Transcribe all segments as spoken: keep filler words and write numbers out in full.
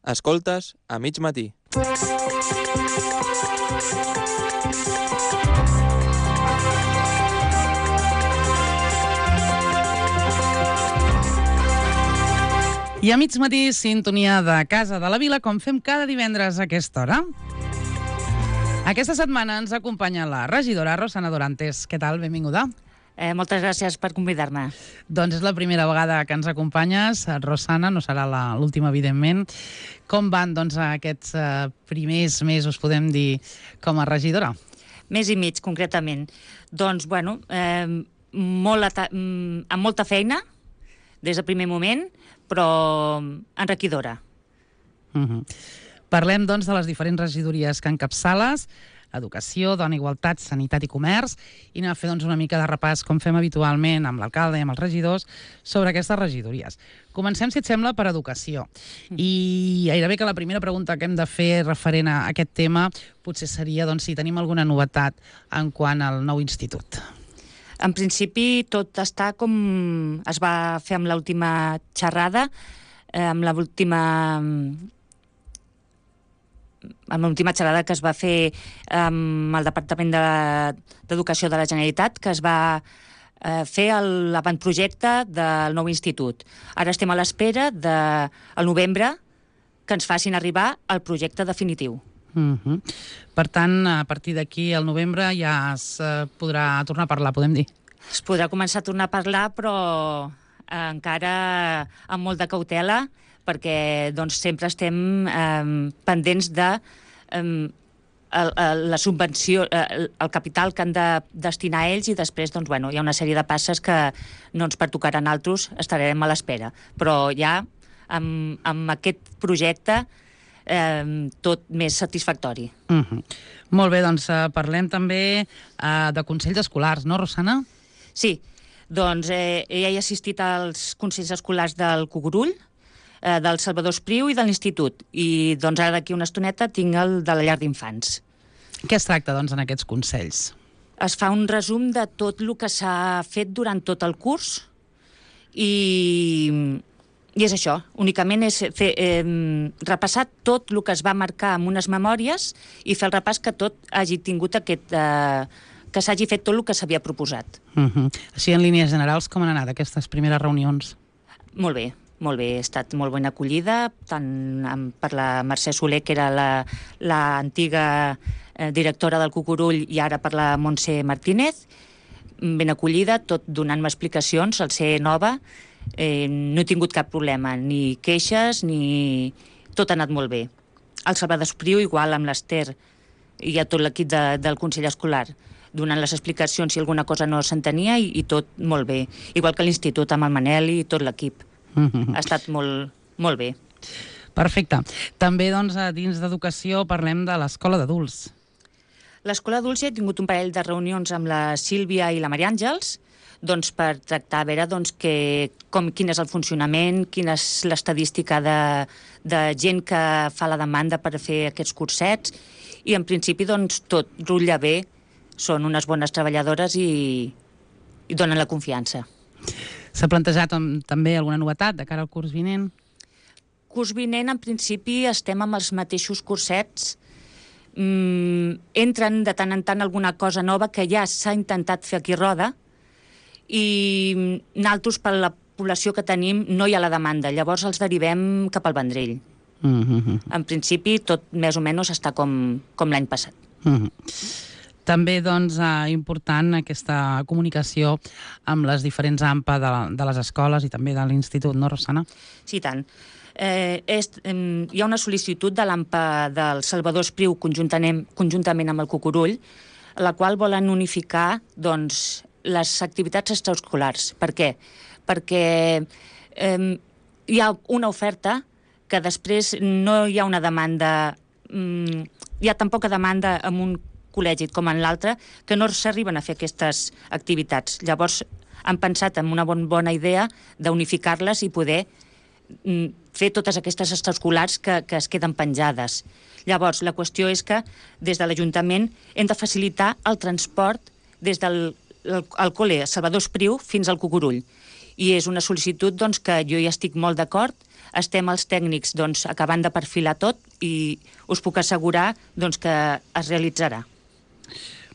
Escoltes a mig matí. I a mig matí, sintonia de Casa de la Vila, com fem cada divendres a aquesta hora. Aquesta setmana ens acompanya la regidora Rosana Dorantes. Què tal? Benvinguda. Eh, moltes gràcies per convidar-me. Doncs és la primera vegada que ens acompanyes, Rosana, no serà l'última, evidentment. Com van doncs, aquests eh, primers mesos, podem dir, com a regidora? Mes i mig, concretament. Doncs, bueno, eh, molt amb molta feina, des del primer moment, però enriquidora. Uh-huh. Parlem, doncs, de les diferents regidories que encapçales: Educació, Dona, Igualtat, Sanitat i Comerç, i anem a fer doncs, una mica de repàs, com fem habitualment amb l'alcalde i amb els regidors, sobre aquestes regidories. Comencem, si et sembla, per Educació. I gairebé que la primera pregunta que hem de fer referent a aquest tema potser seria doncs, si tenim alguna novetat en quant al nou institut. En principi, tot està com es va fer amb l'última xerrada, eh, amb l'última... amb l'última xerrada que es va fer amb el Departament d'Educació de la Generalitat, que es va eh, fer l'avantprojecte del nou institut. Ara estem a l'espera del novembre que ens facin arribar el projecte definitiu. Uh-huh. Per tant, a partir d'aquí, al novembre, ja es eh, podrà tornar a parlar, podem dir. Es podrà començar a tornar a parlar, però eh, encara amb molt de cautela, perquè doncs, sempre estem eh, pendents de eh, el, el, la subvenció, eh, el capital que han de destinar ells, i després doncs, bueno, hi ha una sèrie de passes que no ens pertocaran altres, estarem a l'espera. Però ja amb, amb aquest projecte eh, tot més satisfactori. Uh-huh. Molt bé, doncs eh, parlem també eh, de consells escolars, no, Rosana? Sí, doncs eh, ja he assistit als consells escolars del Cucurull, eh, del Salvador Espriu i de l'Institut. I doncs ara d'aquí una estoneta tinc el de la llar d'infants. Què es tracta, doncs, en aquests consells? Es fa un resum de tot el que s'ha fet durant tot el curs i, i és això. Únicament és fer, eh, repassar tot el que es va marcar amb unes memòries i fer el repàs que tot hagi tingut aquest... Eh, que s'hagi fet tot el que s'havia proposat. Uh-huh. Així, en línies generals, com han anat aquestes primeres reunions? Molt bé, molt bé. Ha estat molt ben acollida, tant per la Mercè Soler, que era l'antiga eh, directora del Cucurull, i ara per la Montse Martínez. Ben acollida, tot donant-me explicacions, al ser nova. Eh, no he tingut cap problema, ni queixes, ni... Tot ha anat molt bé. El Salvador Espriu, igual amb l'Ester i a tot l'equip de, del Consell Escolar, donant les explicacions si alguna cosa no s'entenia, i, i tot molt bé. Igual que l'Institut amb el Manel i tot l'equip. Mm-hmm. Ha estat molt, molt bé. Perfecte. També, doncs, dins d'Educació parlem de l'Escola d'Adults. L'Escola d'Adults he tingut un parell de reunions amb la Sílvia i la Maria Àngels, doncs, per tractar a veure doncs, que, com, quin és el funcionament, quina és l'estadística de, de gent que fa la demanda per fer aquests cursets, i en principi doncs, tot rutlla bé. Són unes bones treballadores i, i donen la confiança. S'ha plantejat també alguna novetat de cara al curs vinent? Curs vinent, en principi, estem amb els mateixos cursets. Mm, entren de tant en tant alguna cosa nova que ja s'ha intentat fer aquí a Roda, i nosaltres, per la població que tenim, no hi ha la demanda. Llavors els derivem cap al Vendrell. Mm-hmm. En principi, tot més o menys està com, com l'any passat. Mm-hmm. També, doncs, eh, important aquesta comunicació amb les diferents A M P A de, de les escoles i també de l'Institut, no, Rosana? Sí, tant. Eh, és, eh, hi ha una sol·licitud de l'A M P A del Salvador Espriu conjuntament, conjuntament amb el Cucurull, la qual volen unificar doncs, les activitats extraescolars. Per què? Perquè eh, hi ha una oferta que després no hi ha una demanda, mm, hi ha tan poca demanda en un col·legi com en l'altre, que no s'arriben a fer aquestes activitats. Llavors han pensat en una bon, bona idea d'unificar-les i poder mm, fer totes aquestes extraescolars que, que es queden penjades. Llavors, la qüestió és que des de l'Ajuntament hem de facilitar el transport des del el, el col·le Salvador Espriu fins al Cucurull. I és una sol·licitud doncs, que jo hi estic molt d'acord estem els tècnics doncs, acabant de perfilar tot i us puc assegurar doncs, que es realitzarà.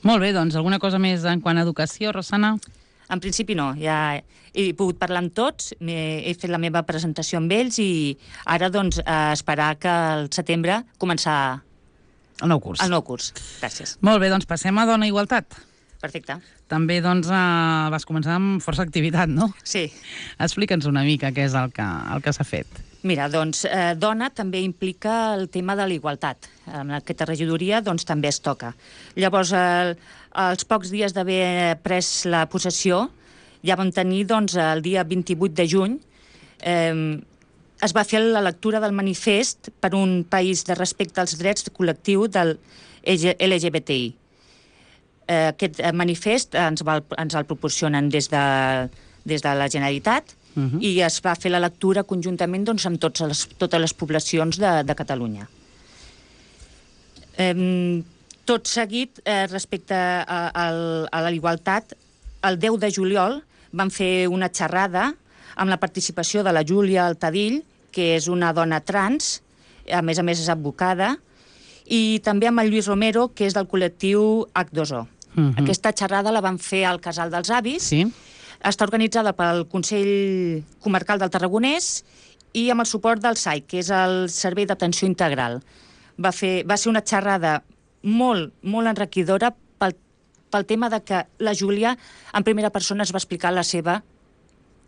Molt bé, doncs alguna cosa més en quant a educació, Rosana? En principi no, ja he pogut parlar amb tots, he fet la meva presentació amb ells i ara doncs a esperar que al setembre començar el nou curs. El nou curs, gràcies. Molt bé, doncs passem a Dona i Igualtat. Perfecte. També doncs eh, vas començar amb força activitat, no? Sí. Explica'ns una mica què és el que, el que s'ha fet. Mira, doncs, eh, dona també implica el tema de la igualtat. En aquesta regidoria doncs, també es toca. Llavors, el, als pocs dies d'haver pres la possessió, ja vam tenir doncs, el dia vint-i-vuit de juny, eh, es va fer la lectura del manifest per un país de respecte als drets col·lectius del L G B T I. Eh, aquest manifest ens, va, ens el proporcionen des de, des de la Generalitat, Uh -huh. i es va fer la lectura conjuntament doncs, amb tots les, totes les poblacions de, de Catalunya. Eh, tot seguit, eh, respecte a, a, a la igualtat, el deu de juliol vam fer una xerrada amb la participació de la Júlia Altadill, que és una dona trans, a més a més és advocada, i també amb el Lluís Romero, que és del col·lectiu H dos O. Uh -huh. Aquesta xerrada la vam fer al Casal dels Avis, sí. Està organitzada pel Consell Comarcal del Tarragonès i amb el suport del S A I, que és el Servei d'Atenció Integral. Va, fer, va ser una xerrada molt, molt enriquidora pel, pel tema de que la Júlia, en primera persona, es va explicar la seva,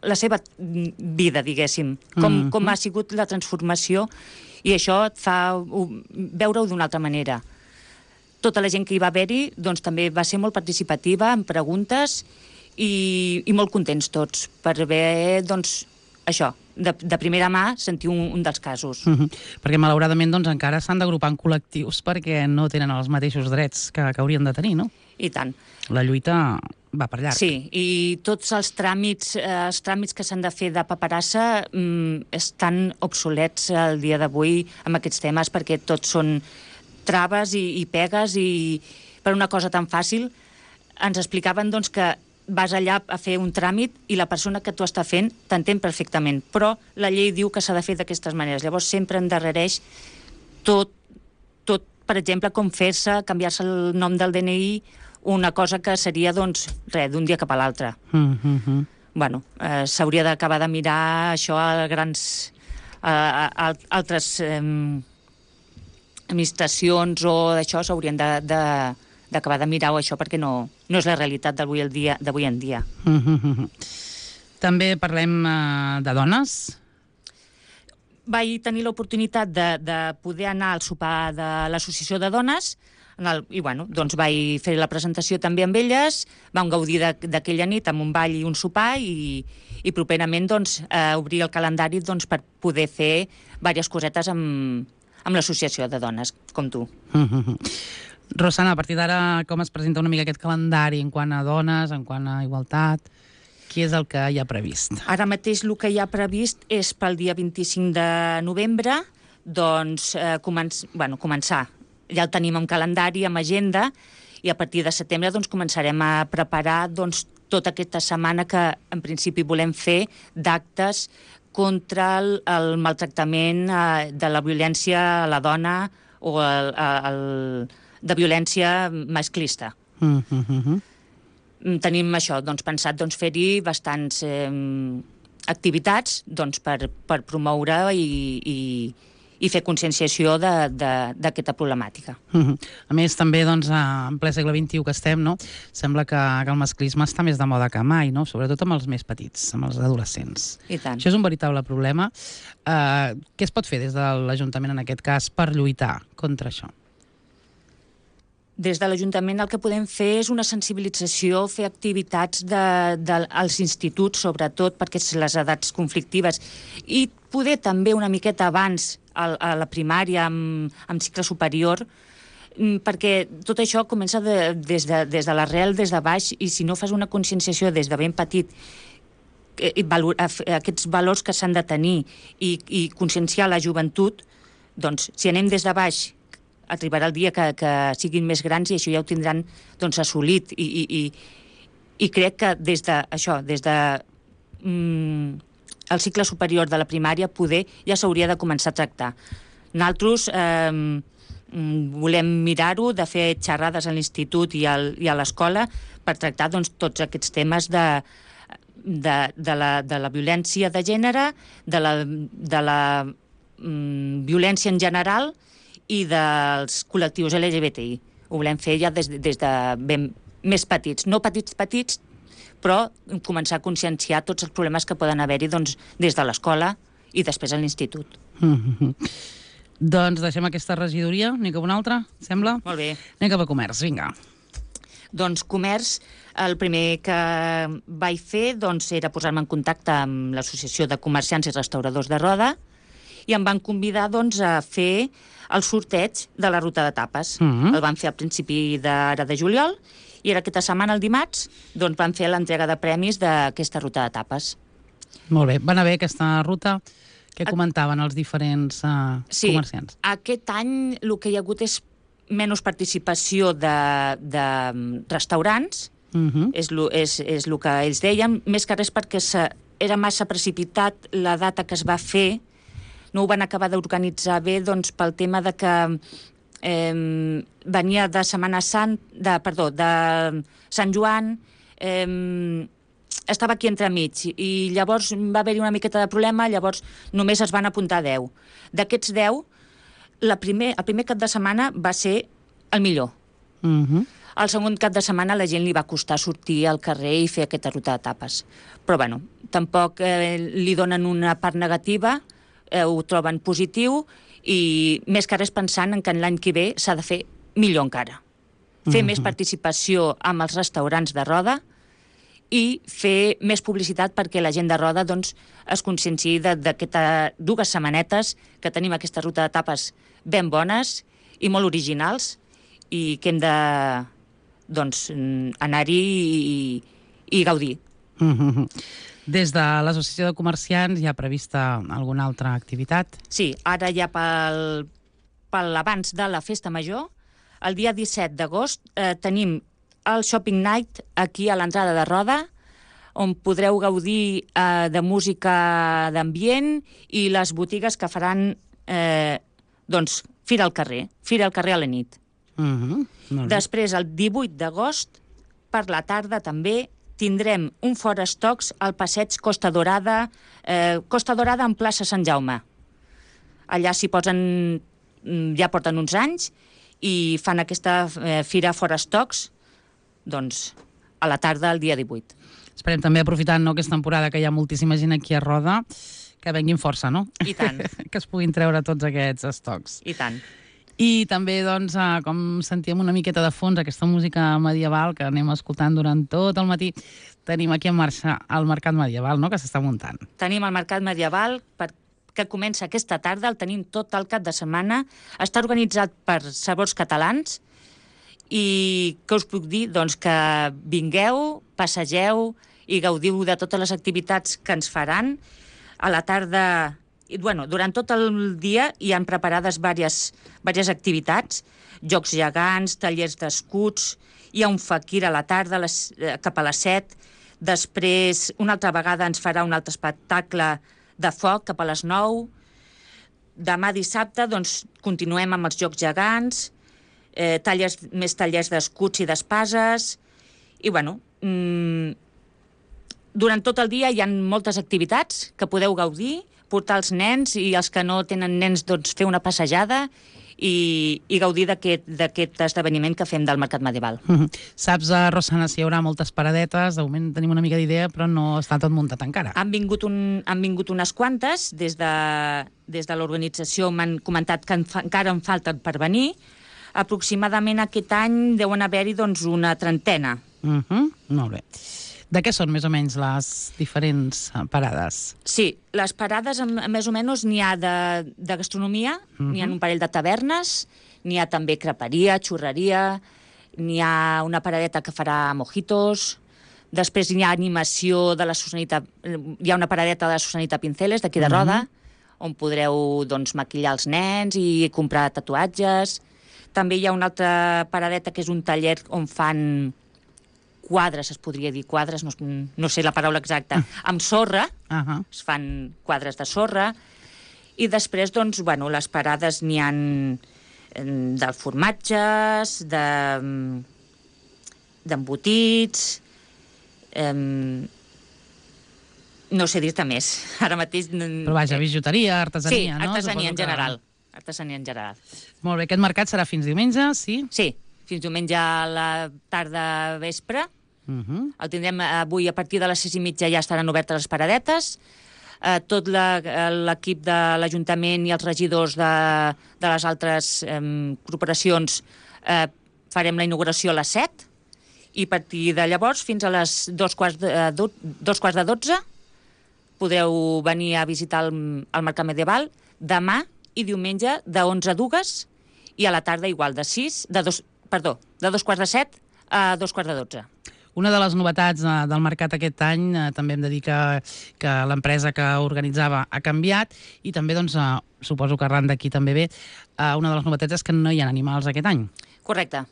la seva vida, diguéssim, com, mm-hmm. com ha sigut la transformació, i això et fa veure-ho d'una altra manera. Tota la gent que hi va haver-hi doncs, també va ser molt participativa en preguntes I, i molt contents tots per haver, doncs, això, de, de primera mà sentir un, un dels casos. Uh-huh. Perquè, malauradament, doncs, encara s'han d'agrupar en col·lectius perquè no tenen els mateixos drets que, que haurien de tenir, no? I tant. La lluita va per llarg. Sí, i tots els tràmits, eh, els tràmits que s'han de fer de paperassa mm, estan obsolets al dia d'avui amb aquests temes perquè tots són traves i, i pegues i per una cosa tan fàcil. Ens explicaven, doncs, que vas allà a fer un tràmit i la persona que t'ho està fent t'entén perfectament, però la llei diu que s'ha de fer d'aquestes maneres. Llavors sempre endarrereix tot, tot per exemple, com fer-se, canviar-se el nom del D N I, una cosa que seria, doncs, res, d'un dia cap a l'altre. Mm-hmm. Bueno, eh, s'hauria d'acabar de mirar això a grans... a, a, a altres eh, administracions o d'això s'haurien de... de d'acabar de mirar-ho això perquè no, no és la realitat d'avui en dia. D'avui en dia. Mm-hmm. També parlem uh, de dones? Vaig tenir l'oportunitat de, de poder anar al sopar de l'Associació de Dones en el, i bueno, doncs vaig fer la presentació també amb elles, vam gaudir d'aquella nit amb un ball i un sopar i, i properament doncs, eh, obrir el calendari doncs, per poder fer diverses cosetes amb, amb l'Associació de Dones, com tu. Mm-hmm. Rosana, a partir d'ara, com es presenta una mica aquest calendari en quant a dones, en quant a igualtat? Què és el que hi ha previst? Ara mateix el que hi ha previst és pel dia vint-i-cinc de novembre, doncs, eh, començ, bueno, començar. Ja el tenim en calendari, amb agenda, i a partir de setembre doncs, començarem a preparar doncs, tota aquesta setmana que en principi volem fer d'actes contra el, el maltractament eh, de la violència a la dona o el, el, de violència masclista. Mm-hmm. Tenim això, doncs, pensat doncs, fer-hi bastants eh, activitats doncs, per, per promoure i, i, i fer conscienciació d'aquesta problemàtica. Mm-hmm. A més, també, doncs, en ple segle vint-i-u que estem, no? Sembla que, que el masclisme està més de moda que mai, no? Sobretot amb els més petits, amb els adolescents. I tant. Això és un veritable problema. Uh, què es pot fer des de l'Ajuntament, en aquest cas, per lluitar contra això? Des de l'Ajuntament el que podem fer és una sensibilització, fer activitats de, de, als instituts, sobretot perquè les edats conflictives, i poder també una miqueta abans a, a la primària, amb, amb cicle superior, perquè tot això comença de, des, de, des de l'arrel, des de baix, i si no fas una conscienciació des de ben petit, eh, valor, aquests valors que s'han de tenir i, i conscienciar la joventut, doncs si anem des de baix, arribarà el dia que, que siguin més grans i això ja ho tindran doncs, assolit i, i, i, i crec que des de això, des de mm, el cicle superior de la primària poder ja s'hauria de començar a tractar. Nosaltres eh, volem mirar-ho, de fer xerrades a l'institut i, al, i a l'escola per tractar doncs, tots aquests temes de, de, de, la, de la violència de gènere, de la, de la mm, violència en general i dels col·lectius L G B T I. Ho volem fer ja des, des de ben, més petits. No petits, petits, però començar a conscienciar tots els problemes que poden haver-hi doncs, des de l'escola i després a l'institut. Mm-hmm. Doncs deixem aquesta regidoria, anem cap a una altra, sembla? Molt bé. Anem cap a comerç, vinga. Doncs comerç, el primer que vaig fer doncs, era posar-me en contacte amb l'Associació de Comerciants i Restauradors de Roda i em van convidar doncs, a fer el sorteig de la ruta de tapes. Mm-hmm. El van fer al principi d'ara de juliol i era aquesta setmana, el dimarts, doncs van fer l'entrega de premis d'aquesta ruta de tapes. Molt bé. Va anar bé aquesta ruta? Què comentaven els diferents uh, sí, comerciants? Sí, aquest any el que hi ha hagut és menys participació de, de restaurants, uh-huh. és, lo, és, és el que ells deien, més que res perquè se, era massa precipitat la data que es va fer, no ho van acabar d'organitzar bé doncs, pel tema de que eh, venia de Setmana Sant, de, perdó, de Sant Joan, eh, estava aquí entremig i llavors va haver-hi una miqueta de problema, llavors només es van apuntar deu. D'aquests deu, la primer, el primer cap de setmana va ser el millor. Uh-huh. El segon cap de setmana la gent li va costar sortir al carrer i fer aquesta ruta de tapes. Però bueno, tampoc eh, li donen una part negativa, eh, ho troben positiu i més que res pensant en que l'any que ve s'ha de fer millor encara. Fer uh-huh. més participació amb els restaurants de Roda i fer més publicitat perquè la gent de Roda doncs, es conscienciï d'aquestes dues setmanetes que tenim aquesta ruta de tapes ben bones i molt originals i que hem de doncs, anar-hi i, i gaudir. Mm-hmm. Des de l'Associació de Comerciants hi ha prevista alguna altra activitat? Sí, ara ja pel, pel abans de la Festa Major, el dia disset d'agost eh, tenim el Shopping Night aquí a l'entrada de Roda, on podreu gaudir eh, de música d'ambient i les botigues que faran eh, doncs, fira al carrer, fira al carrer a la nit. Mm-hmm. Després, el divuit d'agost, per la tarda també, tindrem un fora estocs al passeig Costa Dorada, eh, Costa Dorada en plaça Sant Jaume. Allà s'hi posen, ja porten uns anys, i fan aquesta eh, fira fora estocs, doncs, a la tarda, el dia divuit. Esperem també, aprofitant no, aquesta temporada que hi ha moltíssima gent aquí a Roda, que venguin força, no? I tant. Que es puguin treure tots aquests estocs. I tant. I també, doncs, com sentíem una miqueta de fons, aquesta música medieval que anem escoltant durant tot el matí, tenim aquí en marxa el Mercat Medieval, no?, que s'està muntant. Tenim el Mercat Medieval per que comença aquesta tarda, el tenim tot el cap de setmana, està organitzat per Sabors Catalans, i què us puc dir? Doncs que vingueu, passegeu i gaudiu de totes les activitats que ens faran. A la tarda, i, bueno, durant tot el dia hi han preparades diverses, diverses activitats, jocs gegants, tallers d'escuts, hi ha un faquir a la tarda, les, cap a les set, després una altra vegada ens farà un altre espectacle de foc cap a les nou. Demà dissabte doncs, continuem amb els jocs gegants, eh, tallers, més tallers d'escuts i d'espases, i bueno, mmm, durant tot el dia hi ha moltes activitats que podeu gaudir, portar els nens i els que no tenen nens doncs, fer una passejada i, i gaudir d'aquest esdeveniment que fem del Mercat Medieval. Mm-hmm. Saps, a Rosana, si hi haurà moltes paradetes? De moment tenim una mica d'idea, però no està tot muntat encara. Han vingut, un, han vingut unes quantes, des de, des de l'organització m'han comentat que en fa, encara en falten per venir. Aproximadament aquest any deuen haver-hi doncs, una trentena. Mm-hmm. Molt bé. De què són més o menys les diferents parades? Sí, les parades més o menys n'hi ha de, de gastronomia, uh-huh. n'hi ha un parell de tavernes, n'hi ha també creperia, xurreria, n'hi ha una paradeta que farà mojitos, després hi ha animació de la Susanita, hi ha una paradeta de la Susanita Pinceles, d'aquí de Roda, uh-huh. on podreu doncs, maquillar els nens i comprar tatuatges. També hi ha una altra paradeta que és un taller on fan quadres, es podria dir quadres, no, no sé la paraula exacta, amb sorra, Uh -huh. es fan quadres de sorra, i després, doncs, bueno, les parades n'hi ha de formatges, de d'embotits, eh, no sé dir-te més. Ara mateix... Però vaja, bijuteria, artesania, sí, no? artesania Suposo en que- general. Artesania en general. Molt bé, aquest mercat serà fins diumenge, sí? Sí, fins diumenge a la tarda vespre. Uh -huh. El tindrem avui a partir de les sis i mitja, ja estaran obertes les paradetes. Eh, tot la- l'equip de l'Ajuntament i els regidors de, de les altres eh, corporacions eh, farem la inauguració a les set, i a partir de llavors fins a les dos quarts de, do, dos quarts de dotze podreu venir a visitar el, el Mercat Medieval. Demà i diumenge de onze a dues, i a la tarda igual, de sis, de dos, perdó, de dos quarts de set a dos quarts de dotze. Una de les novetats eh, del mercat aquest any, eh, també hem de dir que, que l'empresa que organitzava ha canviat, i també, doncs, eh, suposo que arran d'aquí també ve, eh, una de les novetats és que no hi ha animals aquest any. Correcte.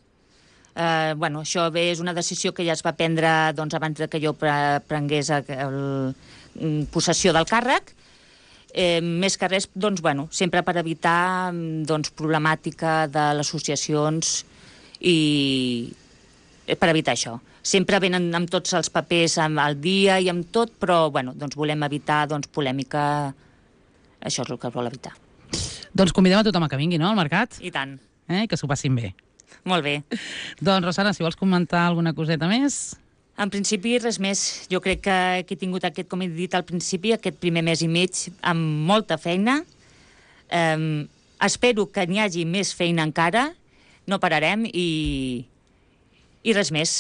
Eh, bueno, això bé és una decisió que ja es va prendre, doncs, abans de que jo pre prengués el, el, possessió del càrrec. Eh, més que res, doncs, bueno, sempre per evitar, doncs, problemàtica de les associacions i per evitar això. Sempre venen amb tots els papers al dia i amb tot, però, bueno, doncs volem evitar, doncs, polèmica. Això és el que vol evitar. Doncs convidem a tothom a que vingui, no?, al mercat, I tant. eh? Que s'ho passin bé. Molt bé. Doncs, Rosana, si vols comentar alguna coseta més... En principi, res més. Jo crec que he tingut aquest, com he dit al principi, aquest primer mes i mig amb molta feina. Eh, espero que n'hi hagi més feina encara. No pararem i, i res més.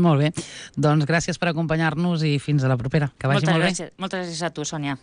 Molt bé. Doncs gràcies per acompanyar-nos i fins a la propera. Que vagi Moltes molt bé. gràcies, moltes gràcies a tu, Sònia.